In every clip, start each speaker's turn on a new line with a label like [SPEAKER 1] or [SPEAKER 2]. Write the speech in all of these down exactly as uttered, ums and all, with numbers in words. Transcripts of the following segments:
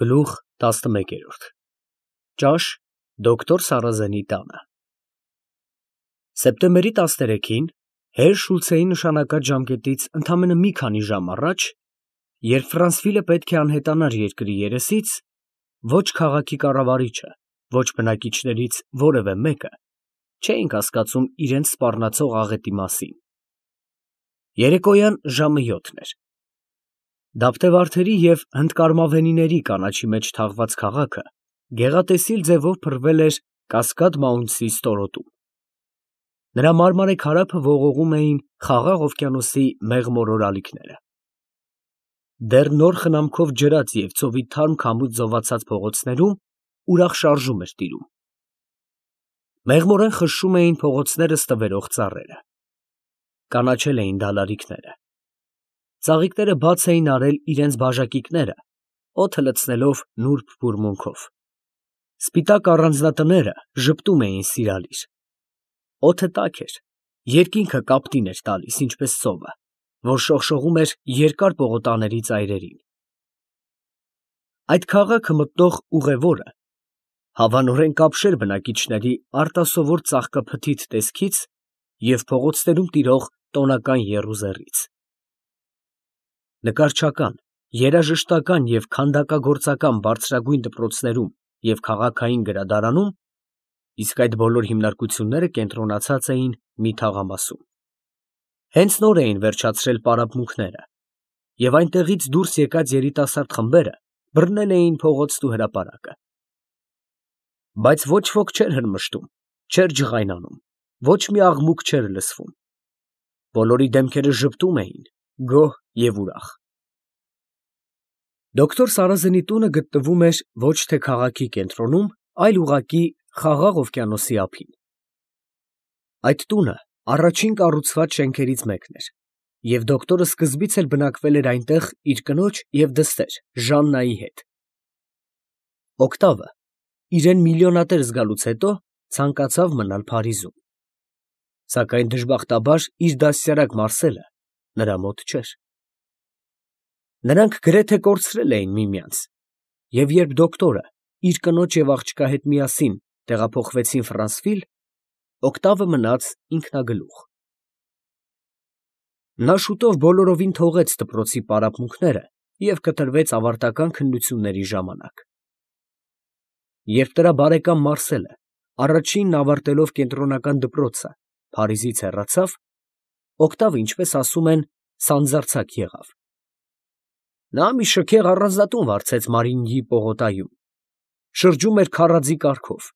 [SPEAKER 1] Գլուխ տասնմեկերորդ Ճաշ դոկտոր Սարազենի տանը Սեպտեմբերի տասներեքին Հեր Շուլցեի նշանակած ժամկետից ընդամենը մի քանի ժամ առաջ, երբ Ֆրանսվիլը պետք է անհետանար երկրի երեսից, ոչ քաղաքի կառավարիչը, ոչ բնակիչներից որևէ մեկը չէին կասկածում իրենց սպառնացող աղետի մասին։ Երեկոյան ժամը յոթն էր։ Դափտեվարդերի և հնդկարմավենիների կանաչի մեջ թաղված քաղաքը գեղատեսիլ ձևով փռվել էր Կասկադ Մաունտսի ստորոտում։ Նրա մարմարե քարափը ողողում էին Խաղաղ օվկիանոսի մեղմորոր ալիքները։ Դեռ նոր խնամքով ջրած և ծովի թարմ քամուց զովացած փողոցներում ուրախ շարժում էր տիրում։ Մեղմորեն խշշում էին փողոցները ստվերող ծառերը։ Կանաչել էին դալարիքները։ Ծաղիկները բաց էին արել իրենց բաժակիկները, օդը լցնելով նուրբ բուրմունքով։ Սպիտակ առանձնատները ժպտում էին սիրալիր։ Օդը տաք էր, երկինքը կապտին էր տալիս, ինչպես ծովը, որ շողշողում էր երկար պողոտաների ծայրերին։ Այդ քաղաքը մտնող ուղևորը հավանորեն կապշեր բնակիչների արտասովոր ծաղկափթիթ տեսքից և փողոցներում տիրող տոնական եռուզեռից։ Նկարչական, երաժշտական և քանդակագործական բարձրագույն դպրոցներում և քաղաքային գրադարանում, իսկ այդ բոլոր հիմնարկությունները կենտրոնացած էին մի թաղամասում։ Հենց նոր էին վերջացրել պարապմունքները, և այնտեղից դուրս եկած երիտասարդ խմբերը բռնել էին փողոցն ու հրապարակը։ Բայց ոչ ոք չէր հրմշտում, չէր ջղայնանում, ոչ մի աղմուկ չէր լսվում։ Բոլորի դեմքերը ժպտում էին, գոհ և ուրախ։ Դոկտոր Սարազենի տունը գտնվում էր ոչ թե քաղաքի կենտրոնում, այլ ուղղակի Խաղաղ օվկիանոսի ափին։ Այդ տունը առաջին կառուցված շենքերից մեկն էր, և դոկտորը սկզբից էլ բնակվել էր այնտեղ իր կնոջ և դստեր Ժաննայի հետ։ Օկտավը, իրան միլիոնատեր զգալուց հետո, ցանկացավ մնալ Փարիզում։ Սակայն դժբախտաբար իր դաստիարակ Մարսելը նրա մոտ չէր։ Նրանք գրեթե կորցրել էին միմյանց, և երբ դոկտորը իր կնոջ և աղջկա հետ միասին տեղափոխվեցին Ֆրանսվիլ, Օկտավը մնաց ինքնագլուխ։ Նա շուտով բոլորովին թողեց դպրոցի պարապմունքները և կտրվեց ավարտական քննությունների ժամանակ։ Երբ նրա բարեկամ Մարսելը առաջինն ավարտելով կենտրոնական դպրոցը Փարիզից հեռացավ, Օկտավը, ինչպես ասում են, սանձարձակ եղավ։ Նա մի շքեղ առանձնատուն վարձեց Մարինյի պողոտայում, շրջում էր քառadzի կարգով,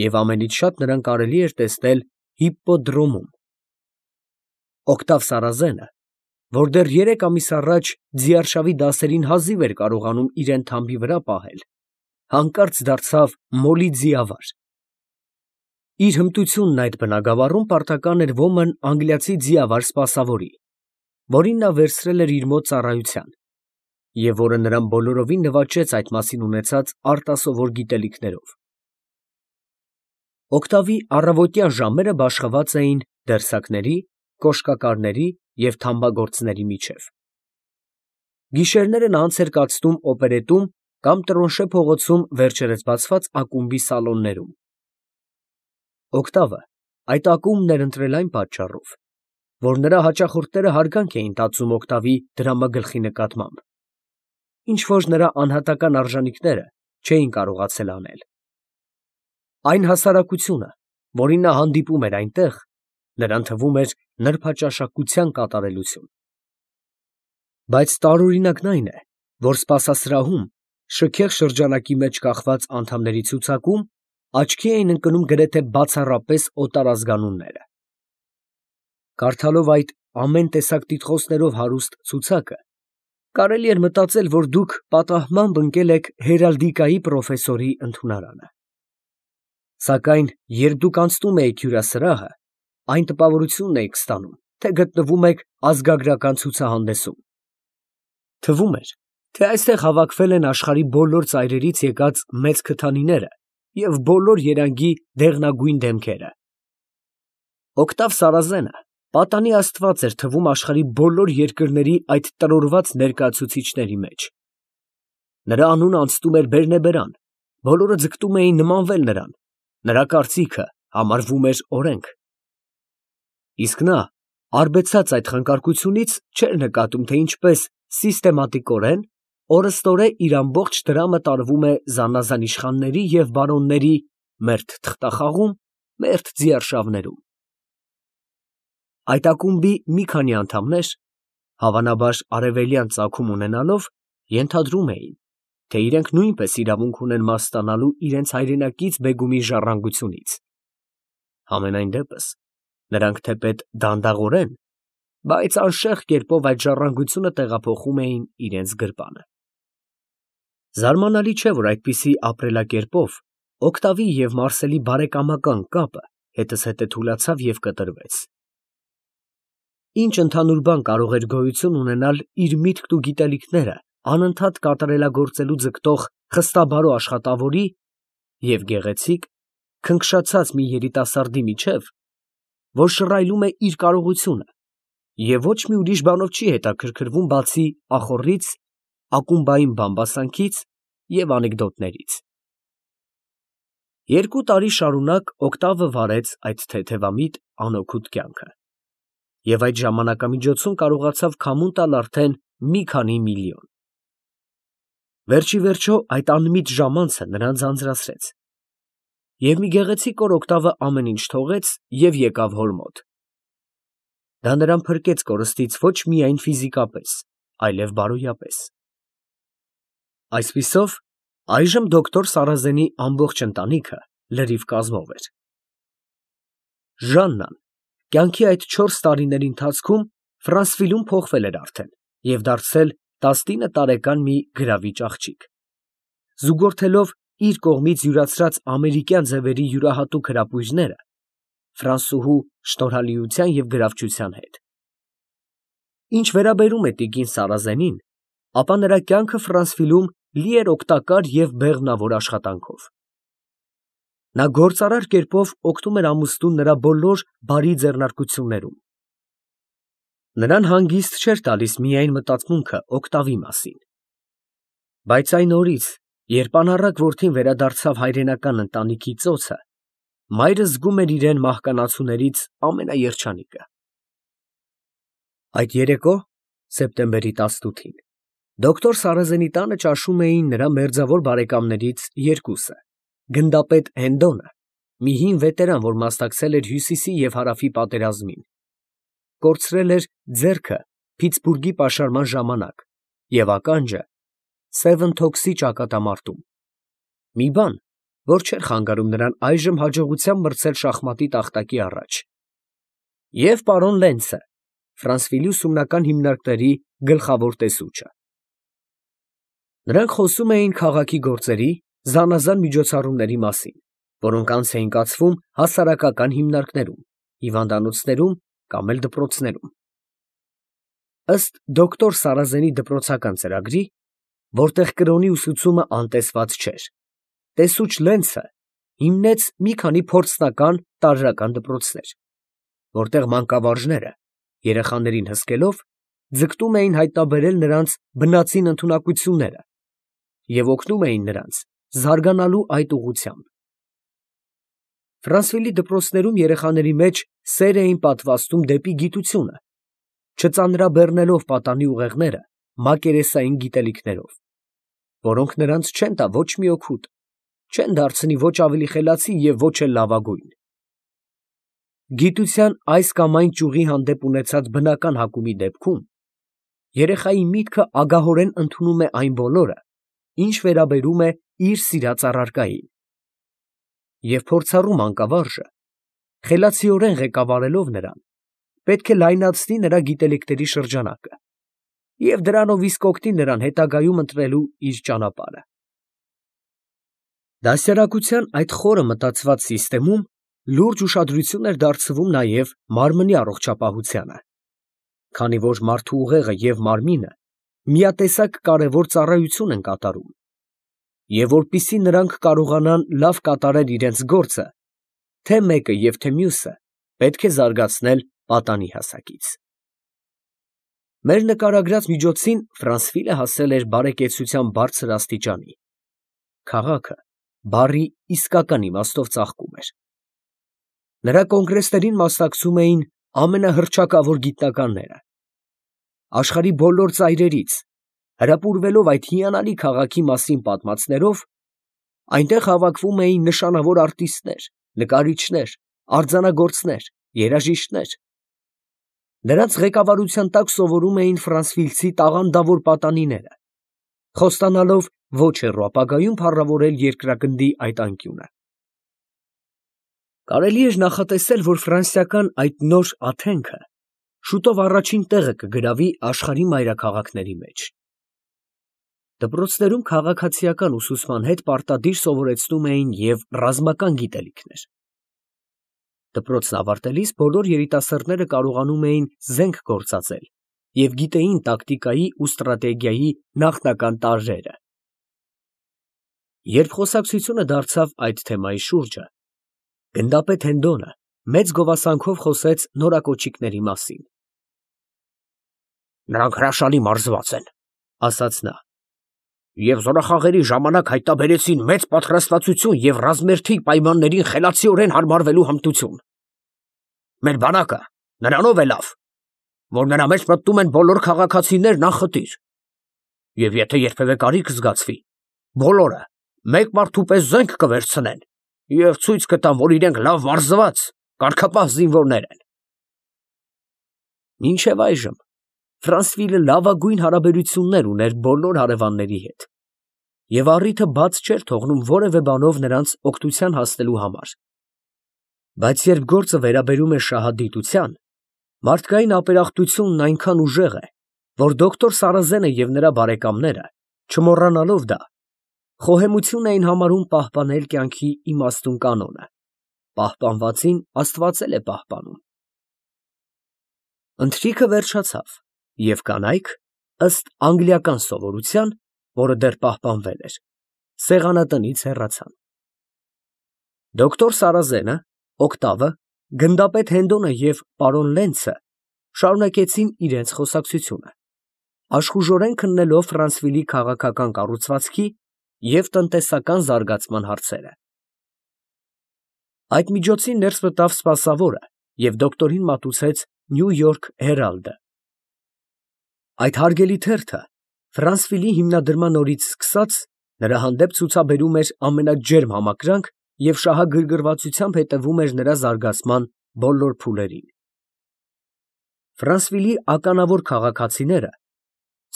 [SPEAKER 1] և ամենից շատ նրան կարելի էր տեսնել Հիպպոդրոմում։ Օկտավ Սարազենը, որ դեռ երեք ամիս առաջ ձիարշավի դասերին հազիվ էր կարողանում իրան թամբի վրա պահել, հանկարծ դարձավ մոլի ձիավար։ Իր հմտությունն այդ բնագավառում պարտական էր ոմն անգլիացի ձիավար սպասավորի, որին նա վերցրել էր իր մոտ ծառայության, և որը նրան բոլորովին նվաճեց այդ մասին ունեցած արտասովոր գիտելիքներով։ Օկտավի առավոտյան ժամերը բաշխված էին դերսակների, կոշկակարների և թամբագործների միջև։ Գիշերները նա անց էր կացնում օպերետում կամ Տրոնշե փողոցում վերջերս բացված ակումբի սալոններում։ Օկտավը այդ ակումբն էր ընտրել այն պատճառով, որ նրա հաճախորդները հարգանք էին տածում Օկտավի դրամագլխի նկատմամբ, ինչ֊որ նրա անհատական արժանիքները չէին կարողացել անել։ Այն հասարակությունը, որին նա հանդիպում էր այնտեղ, նրան թվում էր նրբաճաշակության կատարելություն։ Բայց տարօրինակն այն է, որ սպասասրահում, շքեղ շրջանակի մեջ կախված անդամների ցուցակում աչքի էին ընկնում գրեթե բացառապես օտարազգանունները։ Կարդալով այդ ամեն տեսակ տիտղոսներով հարուստ ցուցակը, կարելի էր մտածել, որ դուք պատահմամբ ընկել եք հերալդիկայի պրոֆեսորի ընդունարանը։ Սակայն երբ դուք անցնում էիք հյուրասրահը, այն տպավորությունն էիք ստանում, թե գտնվում եք ազգագրական ցուցահանդեսում։ Թվում էր, թե այստեղ հավաքվել են աշխարհի բոլոր ծայրերից եկած մեծ քթանիները և բոլոր երանգի դեղնագույն դեմքերը։ Օկտավ Սարազենը պատանի աստված էր թվում աշխարհի բոլոր երկրների այդ տրորված ներկայացուցիչների մեջ։ Նրա անունը անցնում էր բերնեբերան, բոլորը ձգտում էին նմանվել նրան, նրա կարծիքը համարվում էր օրենք։ Իսկ նա, արբեցած այդ խնկարկությունից, չէր նկատում, թե ինչպես սիստեմատիկորեն օրըստօրե իր ամբողջ դրամը տարվում է զանազան իշխանների և բարոնների մերթ թղթախաղում, մերթ ձիարշավներում։ Այդ ակումբի մի քանի անդամներ, հավանաբար արևելյան ծագում ունենալով, ենթադրում էին, թե իրենք նույնպես իրավունք ունեն մաս ստանալու իրենց հայրենակից բեգումի ժառանգությունից։ Համենայն դեպս, նրանք թեպետ դանդաղորեն, բայց անշեղ կերպով այդ ժառանգությունը տեղափոխում էին իրենց գրպանը։ Զարմանալի չէ, որ այդպիսի ապրելակերպով Օկտավի և Մարսելի բարեկամական կապը հետզհետե թուլացավ և կտրվեց։ Ինչ ընդհանուր բան կարող էր գոյություն ունենալ իր միտքն ու գիտելիքները անընդհատ կատարելագործելու ձգտող խստաբարո աշխատավորի և գեղեցիկ, քնքշացած մի երիտասարդի միջև, որ շռայլում է իր կարողությունը և ոչ մի ուրիշ բանով չի հետաքրքրվում, բացի ախոռից, ակումբային բամբասանքից և անեկդոտներից։ Երկու տարի շարունակ Օկտավը վարեց այդ թեթևամիտ, անօգուտ կյանքը և այդ ժամանակամիջոցում կարողացավ քամուն տալ արդեն մի քանի միլիոն։ Վերջիվերջո այդ անմիտ ժամանցը նրան ձանձրացրեց, և մի գեղեցիկ օր Օկտավը ամեն ինչ թողեց և եկավ հոր մոտ։ Դա նրան փրկեց կորստից ոչ միայն ֆիզիկապես, այլև բարոյապես։ Այսպիսով, այժմ դոկտոր Սարազենի ամբողջ ընտանիքը լրիվ կազմով էր։ Ժաննան կյանքի այդ չորս տարիների ընթացքում Ֆրանսվիլում փոխվել էր արդեն և դարձել տասնինը տարեկան մի գրավիչ աղջիկ, զուգորդելով իր կողմից յուրացրած ամերիկյան ձևերի յուրահատուկ հրապույրները ֆրանսուհու շնորհալիության և գրավչության հետ։ Ինչ վերաբերում է տիկին Սարազենին, ապա նրա կյանքը Ֆրանսվիլում լի էր օգտակար և բեղմնավոր աշխատանքով։ Նա գործարար կերպով օգնում էր ամուսնուն նրա բոլոր բարի ձեռնարկություններում։ Նրան հանգիստ չէր տալիս միայն մտածմունքը Օկտավի մասին։ Բայց այն օրից, երբ անառակ որդին վերադարձավ հայրենական ընտանիքի ծոցը, մայրը զգում էր իրեն մահկանացուներից ամենաերջանիկը։ Այդ երեկո, սեպտեմբերի տասնութին, դոկտոր Սարազենի տանը ճաշում էին նրա մերձավոր բարեկամներից երկուսը, գնդապետ Հենդոնը, մի հին վետերան, որ մասնակցել էր Հյուսիսի և Հարավի պատերազմին, կորցրել էր ձեռքը Փիթսբուրգի պաշարման ժամանակ և ականջը Սևընթոքսի ճակատամարտում, մի բան, որ չէր խանգարում նրան այժմ հաջողությամբ մրցել շախմատի տախտակի առաջ, և պարոն Լենցը, Ֆրանսվիլի ուսումնական հիմնարկների գլխավոր տեսուչը։ Նրանք խոսում էին քաղաքի գործերի, զանազան միջոցառումների մասին, որոնք անց էին կացվում հասարակական հիմնարկներում, հիվանդանոցներում կամ էլ դպրոցներում։ Ըստ դոկտոր Սարազենի դպրոցական ծրագրի, որտեղ կրոնի ուսուցումը անտեսված չէր, տեսուչ Լենցը հիմնեց մի քանի փորձնական տարրական դպրոցներ, որտեղ մանկավարժները, երեխաներին հսկելով, ձգտում էին հայտնաբերել նրանց բնածին ընդունակությունները և օգնում էին նրանց զարգանալու այդ ուղղությամբ։ Ֆրանսվիլի դպրոցներում երեխաների մեջ սեր էին պատվաստում դեպի գիտությունը, չծանրաբեռնելով պատանի ուղեղները մակերեսային գիտելիքներով, որոնք նրանց չեն տա ոչ մի օգուտ, չեն դարձնի ոչ ավելի խելացի և ոչ էլ լավագույն։ Գիտության այս կամ այն ճյուղի հանդեպ ունեցած բնական հակումի դեպքում երեխայի միտքը ագահորեն ընդունում է այն բոլորը, ինչ վերաբերում է իր սիրած առարկային, և փորձառու մանկավարժը, խելացիորեն ղեկավարելով նրան, պետք է լայնացնի նրա գիտելիքների շրջանակը և դրանով իսկ օգնի նրան հետագայում ընտրելու իր ճանապարհը։ Դաստիարակության այդ խորը մտածված սիստեմում լուրջ ուշադրություն էր դարձվում նաև մարմնի առողջապահությանը, քանի որ մարդու ուղեղը և մարմինը միատեսակ կարևոր ծառայություն են կատարում, և որպեսզի նրանք կարողանան լավ կատարել իրենց գործը, թե մեկը և թե մյուսը պետք է զարգացնել պատանի հասակից։ Մեր նկարագրած միջոցին Ֆրանսվիլը հասել էր բարեկեցության բարձր աստիճանի. քաղաքը բառի իսկական իմաստով ծաղկում էր։ Նրա կոնգրեսներին մասնակցում էին ամենահռչակավոր գիտնականները։ Աշխարհի բոլոր ծայրերից, հրապուրվելով այդ հիանալի քաղաքի մասին պատմածներով, այնտեղ հավաքվում էին նշանավոր արտիստներ, նկարիչներ, արձանագործներ, երաժիշտներ։ Նրանց ղեկավարության տակ սովորում էին ֆրանսվիլցի տաղանդավոր պատանիները, խոստանալով ոչ հեռու ապագայում փառավորել երկրագնդի այդ անկյունը։ Կարելի էր նախատեսել, որ ֆրանսիական այդ նոր Աթենքը շուտով առաջին տեղը կգրավի աշխարհի մայրաքաղաքների մեջ։ Դպրոցներում քաղաքացիական ուսուցման հետ պարտադիր սովորեցնում էին և ռազմական գիտելիքներ։ Դպրոցն ավարտելիս բոլոր երիտասարդները կարողանում էին զենք գործածել և գիտեին տակտիկայի ու ստրատեգիայի նախնական տարրերը։ Երբ խոսակցությունը դարձավ այդ թեմայի շուրջը, գնդապետ Հենդոնը մեծ գովասանքով խոսեց նորակոճիկների մասին։ «Նրանք հրաշալի մարզված են», ֊ ասաց նա, «և զորախաղերի ժամանակ հայտնաբերեցին մեծ պատրաստվածություն և ռազմերթի պայմաններին խելացիորեն հարմարվելու հմտություն։ Մեր բանակը նրանով է լավ, որ նրա մեջ մտնում են բոլոր քաղաքացիներն անխտիր, և եթե երբևէ կարիք զգացվի, բոլորը մեկ մարդու պես զենք կվերցնեն և ցույց կտան, որ իրենք լավ մարզված, կարգապահ զինվորներ են»։ Մինչև այժմ Ֆրանսվիլը լավագույն հարաբերություններ ուներ բոլոր հարևանների հետ և առիթը բաց չէր թողնում որևէ բանով նրանց օգնության հասնելու համար։ Բայց երբ գործը վերաբերում է շահադիտության, մարդկային ապերախտությունն այնքան ուժեղ է, որ դոկտոր Սարազենը և նրա բարեկամները, չմոռանալով դա, խոհեմություն էին համարում պահպանել կյանքի իմաստուն կանոնը. պահպանվածին Աստված էլ է պահպանում։ Ընթրիքը վերջացավ, և կանայք, ըստ անգլիական սովորության, որը դեռ պահպանվել էր, սեղանատնից հեռացան։ Դոկտոր Սարազենը, Օկտավը, գնդապետ Հենդոնը և պարոն Լենցը շարունակեցին իրենց խոսակցությունը, աշխուժորեն քննելով Ֆրանսվիլի քաղաքական կառուցվածքի և տնտեսական զարգացման հարցերը։ Այդ միջոցին ներս մտավ սպասավորը և դոկտորին մատուցեց Նյու Յորք Հերալդը։ Այդ հարգելի թերթը Ֆրանսվիլի հիմնադրման օրից սկսած նրա հանդեպ ցուցաբերում էր ամենաջերմ համակրանք և շահագրգռվածությամբ հետևում էր նրա զարգացման բոլոր փուլերին։ Ֆրանսվիլի ականավոր քաղաքացիները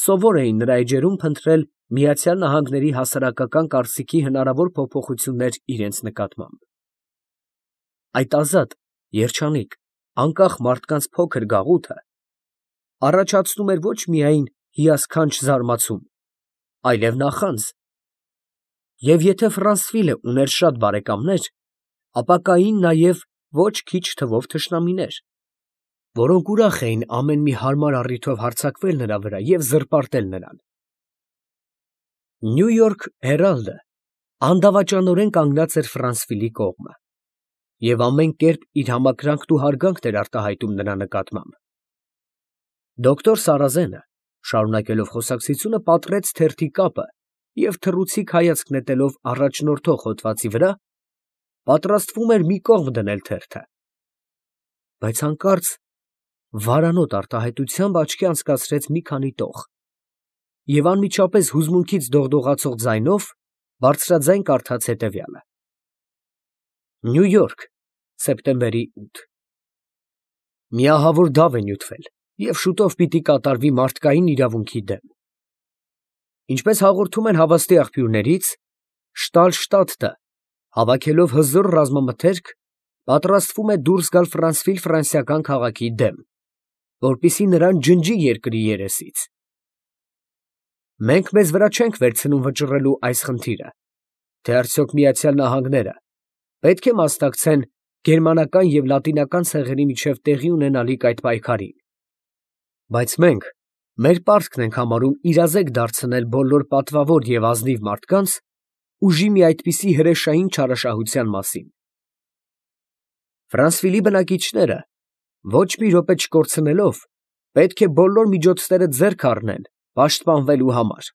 [SPEAKER 1] սովոր էին նրա էջերում փնտրել Միացյալ Նահանգների հասարակական կարծիքի հնարավոր փոփոխություններ իրենց նկատմամբ։ Այդ ազատ, երջանիկ, անկախ մարդկանց փոքր գաղութը առաջացնում էր ոչ միայն հիասքանչ զարմացում, այլև նախանձ, և եթե Ֆրանսվիլը ուներ շատ բարեկամներ, ապա կային նաև ոչ քիչ թվով թշնամիներ, որոնք ուրախ էին ամեն մի հարմար առիթով հարձակվել նրա վրա և զրպարտել նրան։ Նյու Յորք Հերալդը անդավաճանորեն կանգնած էր Ֆրանսվիլի կողմը և ամեն կերպ իր համակրանքն ու հարգանքն էր արտահայտում նրա նկատմամբ։ Դոկտոր Սարազենը, շարունակելով խոսակցությունը, պատռեց թերթի կապը և թռուցիկ հայացք նետելով առաջնորդող հոդվածի վրա, պատրաստվում էր մի կողմ դնել թերթը, բայց հանկարծ վարանոտ արտահայտությամբ աչքի անցկացրեց մի քանի տող և անմիջապես հուզմունքից դողդողացող ձայնով բարձրաձայն կարդաց հետևյալը. Նյու Յորք, սեպտեմբերի ութ Մի ահավոր դավ է նյութվել և շուտով պիտի կատարվի մարդկային իրավունքի դեմ։ Ինչպես հաղորդում են հավաստի աղբյուրներից, Շտալշտադտը, հավաքելով հզոր ռազմամթերք, պատրաստվում է դուրս գալ Ֆրանսվիլ ֆրանսիական քաղաքի դեմ, որպեսզի նրան ջնջի երկրի երեսից։ Մենք մեզ վրա չենք վերցնում վճռելու այս խնդիրը, թե արդյոք Միացյալ Նահանգները պետք է մասնակցեն գերմանական և լատինական ցեղերի միջև տեղի ունենալիք այդ պայքարին, բայց մենք մեր պարտքն ենք համարում իրազեկ դարձնել բոլոր պատվավոր և ազնիվ մարդկանց ուժի մի այդպիսի հրեշային չարաշահության մասին։ Ֆրանսվիլի բնակիչները ոչ մի րոպե չկորցնելով, Պետք է բոլոր միջոցները ձեռք առնեն պաշտպանվելու համար։